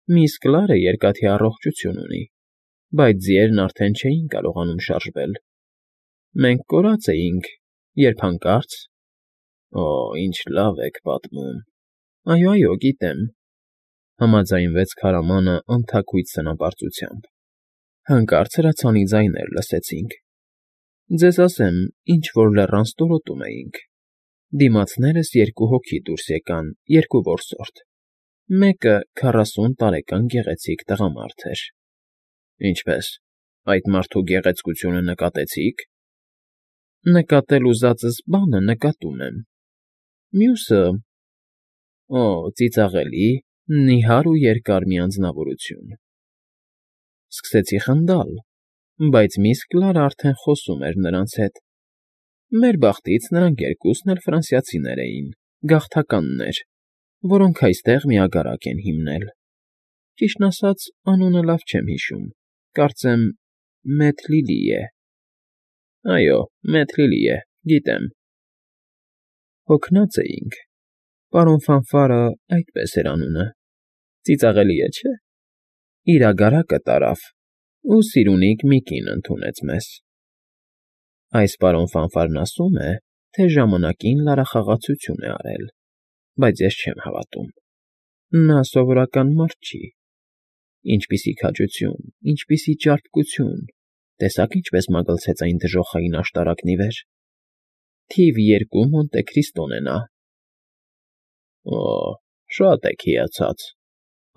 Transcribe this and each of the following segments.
Միս Կլարը երկաթի առողջություն ունի, բայց ձիերն արդեն չէին կարողանում շարժվել։ Մենք կորած էինք, երբ հանկարծ… Օ, ինչ լավ եք պատմում… Այո, գիտեմ,֊ համաձայնվեց քարամանը անթաքույց սնապարծությամբ։ Հանկարծ հրացանի ձայներ լսեցինք։ Ձեզ ասեմ, ինչ֊որ լեռան ստորոտում էինք։ Դիմացներս երկու հոգի դուրս եկան, երկու որսորդ։ Մեկը 40 տարեկան գեղեցիկ տղամարդ էր։ Ինչպե՞ս, այդ մարդու գեղեցկությունը նկատեցի՞ք։ Նկատել ուզածս բանը նկատում եմ։ Մյուսը… Օ, ծիծաղելի, նիհար ու երկար մի անձնավորություն։ Սկսեցի խնդալ, բայց միս Կլարը արդեն խոսում էր նրանց հետ։ Մեր բախտից նրանք երկուսն էլ ֆրանսիացիներ էին, գաղթականներ, որոնք այստեղ մի ագարակ են հիմնել։ Ճիշտն ասած, անունը լավ չեմ հիշում, կարծեմ Մեթլիլի է։ Այո, Մեթլիլի է, գիտեմ։ Հոգնած էինք, պարոն Ֆանֆարը այդպես էր անունը, ծիծաղելի է, չէ՞։ Իր ագարակը տարավ ու Սիրունիկ մի կին ընդունեց մեզ։ Այս պարոն Ֆանֆարն ասում է, թե ժամանակին լարախաղացություն է արել, բայց ես չեմ հավատում։ Նա սովորական մարդ չի։ Ինչպիսի քաջություն, ինչպիսի ճարպկություն, տեսա՞ք ինչպես մագլցեց այն դժոխային աշտարակն ի վեր։ Թիվ 2 Մոնտե Քրիստոն է նա։ Օ, շատ եք հիացած,֊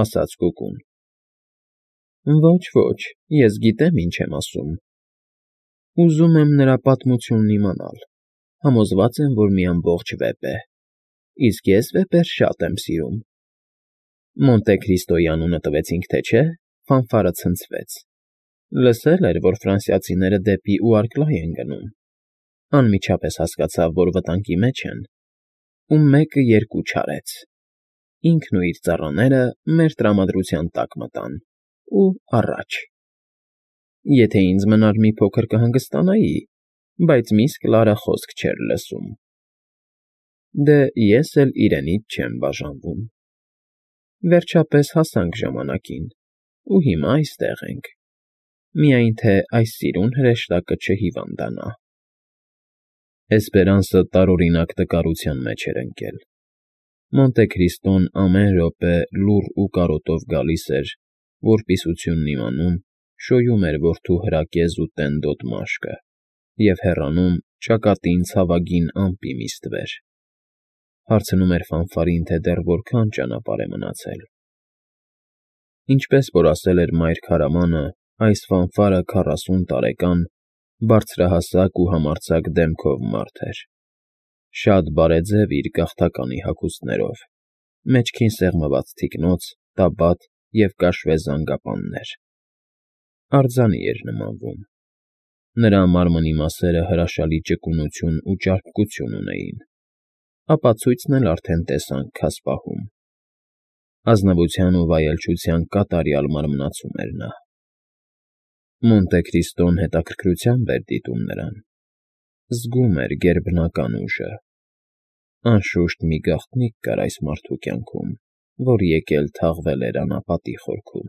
ասաց Կուկուն։ Ոչ, ես գիտեմ ինչ եմ ասում։ Ուզում եմ նրա պատմությունն իմանալ, համոզված եմ, որ մի ամբողջ վեպ է, իսկ ես վեպեր շատ եմ սիրում։ Մոնտե Քրիստոյի անունը տվեցինք, թե չէ, Ֆանֆարը ցնցվեց։ Լսել էր, որ ֆրանսիացիները դեպի Ուարկլայ են գնում։ Անմիջապես հասկացավ, որ վտանգի մեջ են, ու 1-2 չարեց։ Ինքն ու իր ծառաները մեր տրամադրության տակ մտան, ու առաջ։ Եթե ինձ մնար մի փոքր կհանգստանայի, բայց միս Կլարը խոսք չէր լսում։ Դե ես էլ իրենից չեմ բաժանվում։ Վերջապես հասանք ժամանակին, ու հիմա այստեղ ենք։ Միայն թե այս սիրուն հրեշտակը չհիվանդանա։ Էսպերանսը տարօրինակ տկարության մեջ էր ընկել։ Մոնտե Քրիստոն ամեն րոպե լուռ ու կարոտով գալիս էր, որպիսությունն իմանում, շոյում էր որդու հրակեզ ու տենդոտ մաշկը և հեռանում ճակատին ցավագին ամպի մի ստվեր։ Հարցնում էր Ֆանֆարին, թե դեռ որքան ճանապարհ է մնացել։ Ինչպես որ ասել էր մայր քարամանը, այս Ֆանֆարը 40 տարեկան, բարձրահասակ ու համարձակ դեմքով մարդ էր։ Շատ բարեձև իր գաղթականի հագուստներով, մեջքին սեղմված թիկնոց, տաբատ և կաշվե զանգապաններ։ Արձանի էր նմանվում։ Նրա մարմնի մասերը հրաշալի ճկունություն ու ճարպկություն ունեին։ Ապացույցն էլ արդեն տեսանք քասպահում։ Ազնվության ու վայելչության կատարյալ մարմնացում էր նա։ Մոնտե Քրիստոն հետաքրքրությամբ էր դիտում նրան։ Զգում էր գերբնական ուժը։ Անշուշտ մի գաղտնիք կար այս մարդու կյանքում, որ եկել թաղվել էր անապատի խորքում։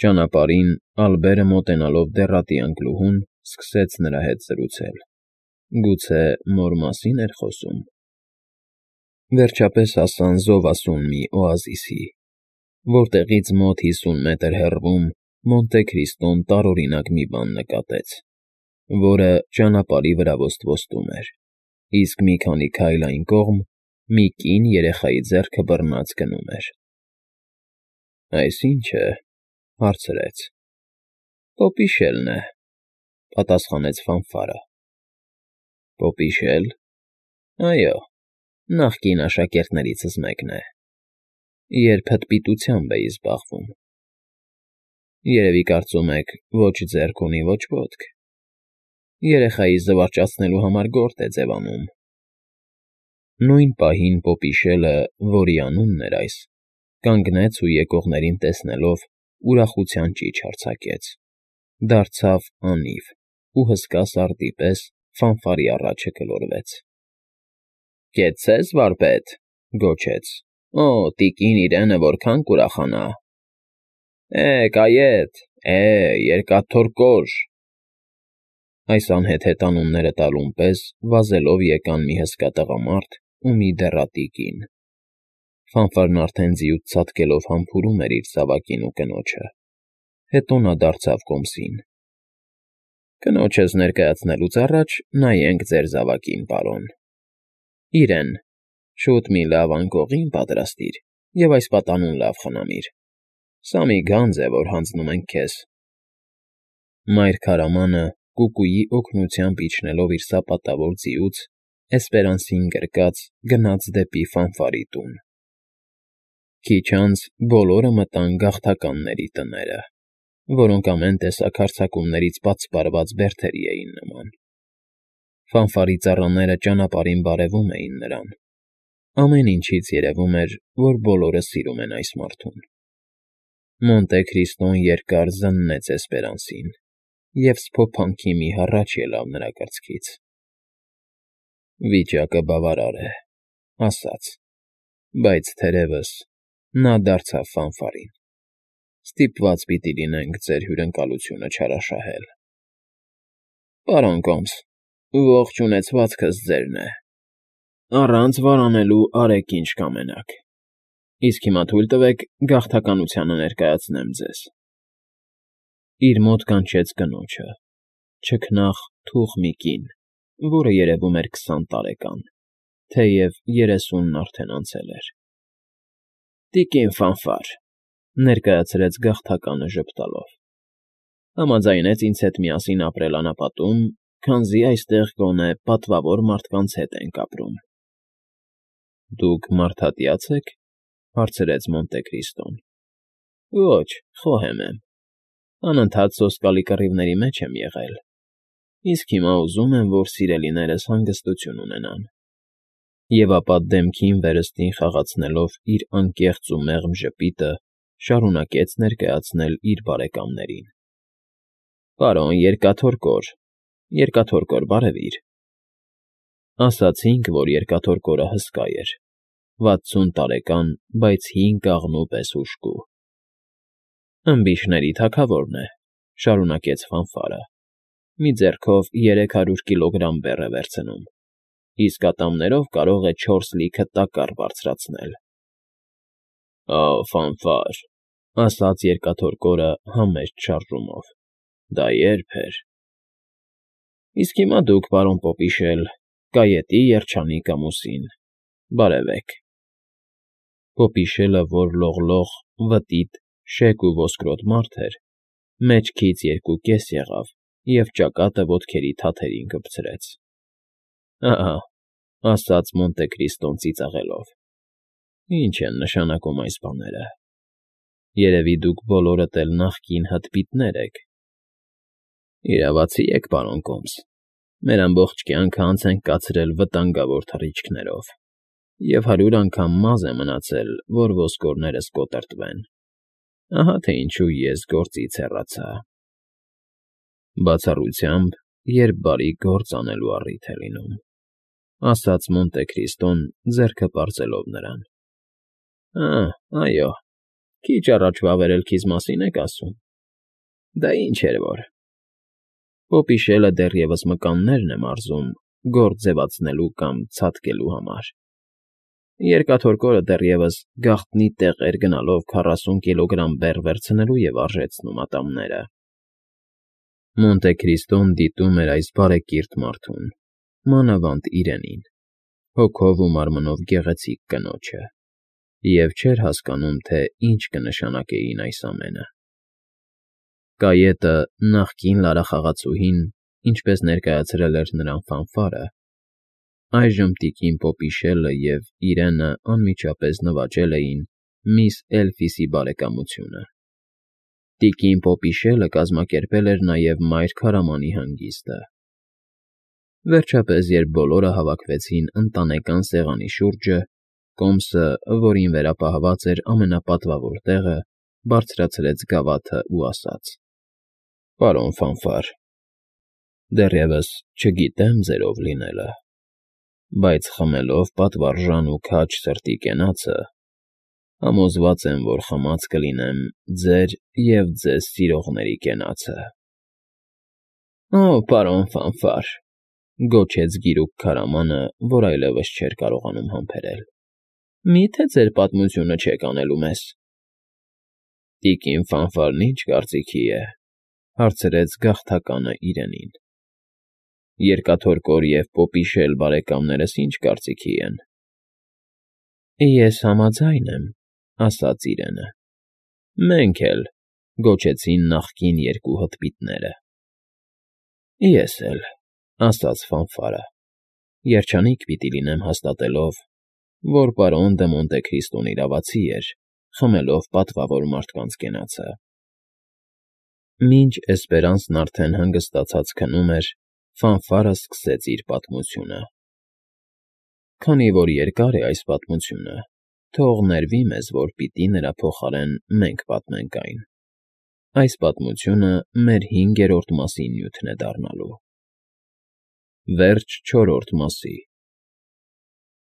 Ճանապարհին Ալբերը մոտենալով դեռատի անկլուհուն, սկսեց նրա հետ զրուցել։ Գուցե մոր մասին էր խոսում։ Վերջապես հասան զովասուն մի օազիսի, որտեղից մոտ 50 մետր հեռվում Մոնտե Քրիստոն տարօրինակ մի բան նկատեց, որը ճանապարհի վրա ոստվոստում էր, իսկ մի քանի քայլ այն կողմ մի կին երեխայի ձեռքը բռնած գնում էր։ Այս ի՞նչ է,֊ հարցրեց։ Պոպիշելն է,֊ պատասխանեց Ֆանֆարը։ Պոպիշել։ Այո, նախկին աշակերտներիցս մեկն է։ Երբ հտպիտությամբ էի զբաղվում։ Երևի կարծում եք, ոչ ձեռք ունի, ոչ ոտք։ Երեխայի զվարճացնելու համար գործ է ձևանում։ Նույն պահին Պոպիշելը, որի անունն էր այս, կանգնեց ու եկողներին տեսնելով ուրախության ճիչ արձակեց, դարձավ անիվ ու հսկա սարդի պես Ֆանֆարի առաջը գլորվեց։ Կեցցե՛ս, վարպետ,֊ գոչեց։ Օ, տիկին Իրենը որքան կուրախանա։ Կայետ, երկաթոր կոր։ Այս անհեթեթ անունները տալուն պես վազելով եկան մի հսկա տղամարդ ու մի դեռատիկին։ Ֆանֆարն արդեն ձիուց ցատկելով համբուրում էր իր զավակին ու կնոջը։ Հետո նա դարձավ կոմսին։ Կնոջս ներկայացնելուց առաջ նայենք ձեր զավակին, պարոն։ Իրեն, շուտ մի լավ անկողին պատրաստիր և այս պատանուն լավ խնամիր։ Սա մի գանձ է, որ հանձնում ենք քեզ։ Մայր քարամանը, կուկուի օգնությամբ իջնելով իր սապատավոր ձիուց, Էսպերանսին գրկած գնաց դեպի Ֆանֆարի տուն։ Քիչ անց բոլորը մտան գաղթականների տները, որոնք ամեն տեսակ հարձակումներից պատսպարված բերդերի էին նման։ Ֆանֆարի ծառաները ճանապարհին բարևում էին նրան։ Ամեն ինչից երևում էր, որ բոլորը սիրում են այս մարդուն։ Մոնտե Քրիստոն երկար զննեց Էսպերանսին և սփոփանքի մի հառաչ ելավ նրա կրծքից։ Վիճակը բավարար է, ասաց, բայց թերևս նա դարձավ Ֆանֆարին։ Ստիպված պիտի լինենք ձեր հյուրընկալությունը չարաշահել։ Պարոն Կոմս, ողջ ունեցվածքս ձերն է։ Առանց վարանելու արեք ինչ կամենաք։ Իսկ հիմա թույլ տվեք գաղթականությանը ներկայացնեմ ձեզ։ Իր մոտ կանչեց կնոջը, չքնաղ թուխ մի կին, որը երևում էր 20 տարեկան, թեև 30-ն արդեն անցել էր։ Տիկին Ֆանֆար, ներկայացրեց գաղթականը ժպտալով, համաձայնեց ինձ հետ միասին ապրել անապատում, քանզի այստեղ գոնե պատվավոր մարդկանց հետ ենք ապրում։ Դուք մարդատյա՞ց եք, հարցրեց Մոնտե Քրիստոն։ Ոչ, խոհեմ եմ։ Անընդհատ սոսկալի կռիվների մեջ եմ եղել, իսկ հիմա ուզում եմ, որ սիրելիներս հանգստություն ունենան։ Եվ ապա դեմքին վերստին խաղացնելով իր անկեղծ ու մեղմ ժպիտը, շարունակեց ներկայացնել իր բարեկամներին։ Պարոն Երկաթոր կոր, բարևիր։ Ասացինք, որ Երկաթոր կորը հսկա էր, 60 տարեկան, բայց հին կաղնու պես հուժկու։ Ըմբիշների թագավորն է, շարունակեց Ֆանֆարը, մի ձեռքով 300 կիլոգրամ բեռ է վերցնում, իսկ ատամներով կարող է 4 լիքը տակառ բարձրացնել։ Ֆանֆար, ասաց Երկաթոր կորը համեստ շարժումով, դա երբ էր։ Իսկ հիմա դուք, պարոն Պոպիշել, Կայետի երջանիկ ամուսին, բարևեք։ Պոպիշելը, որ լողլող, վտիտ, շեկ ու ոսկրոտ մարդ էր, մեջքից 2 կես եղավ և ճակատը ոտքերի թաթերին կպցրեց։ Ահա, ասաց Մոնտե Քրիստոն ծիծաղելով, ինչ են նշանակում այս բաները։ Երևի դուք բոլորդ էլ նախկին հտպիտներ եք։ Իրավացի եք, պարոն Կոմս, մեր ամբողջ կյանքը անց ենք կացրել վտանգավոր թռիչքներով, և 100 անգամ մազ է մնացել, որ ոսկորներս կոտրտվեն։ Ահա թե ինչու ես գործից հեռացա։ Բացառությամբ, երբ բարի գործ անելու առիթ է լինում, ասաց Մոնտե Քրիստոն, ձեռքը պարզելով նրան։ Այո, քիչ առաջ վավերելքիս մասին եք ասում։ Դա ինչ էր որ։ Պոպիշելը դեռևս մկաններն է մարզում գործ ձևացնելու կամ ցատկելու համար։ Երկաթոր կորը դեռևս գաղտնի տեղեր գնալով 40 կիլոգրամ բեռ վերցնելու և արժեցնում ատամները։ Մոնտե Քրիստոն դիտում էր այս բարեկիրթ մարդուն, մանավանդ Իրենին, հոգով ու մարմնով գեղեցիկ կնոջը, և չէր հասկանում, թե ինչ կնշանակեին այս ամենը։ Կայետը, նախկին լարախաղացուհին, ինչպես ներկայացրել էր նրան Ֆանֆարը, այժմ տիկին Պոպիշելը և Իրենը անմիջապես նվաճել էին միս Էլֆիսի բարեկամությունը։ Տիկին Պոպիշելը կազմակերպել էր նաև մայր քարամանի հանգիստը։ Վերջապես, երբ բոլորը հավաքվեցին ընտանեկան սեղանի շուրջը, Կոմսը, որին վերապահված էր ամենապատվավոր տեղը, բարձրացրեց գավաթն ու ասաց. Պարոն Ֆանֆար, դեռևս չգիտեմ ձերով լինելը, բայց խմելով պատվարժան ու քաջ սրտի կենացը, Համոզված եմ, որ խմած կլինեմ ձեր և ձեզ սիրողների կենացը։ Օ, պարոն Ֆանֆար,֊ գոչեց գիրուկ քարամանը, որ այլևս չէր կարողանում համբերել,֊ մի՞թե ձեր պատմությունը չեք անելու մեզ։ Տիկին Ֆանֆարն ի՞նչ կարծիքի է,֊ հարցրեց գաղթականը իրենին։ Երկաթորկոր և Պոպիշել բարեկամներս ի՞նչ կարծիքի են։ Ես համաձայն եմ,֊ ասաց իրենը։ Մենք էլ,֊ գոչեցին նախկին երկու հտպիտները։ Ես էլ,֊ ասաց Ֆանֆարը, երջանիկ պիտի լինեմ հաստատելով, որ պարոն Դը Մոնտե Քրիստոն իրավացի էր, խմելով պատվավոր մարդկանց կենացը։ Մինչ Էսպերանսն արդեն հանգստացած քնում էր, Ֆանֆարը սկսեց իր պատմությունը։ Քանի որ երկար է այս պատմությունը, թող ներվի մեզ, որ պիտի նրա փոխարեն մենք պատմենք այն։ Այս պատմությունը մեր 5-րդ մասի նյութն է դառնալու։ Վերջ 4-րդ մասի։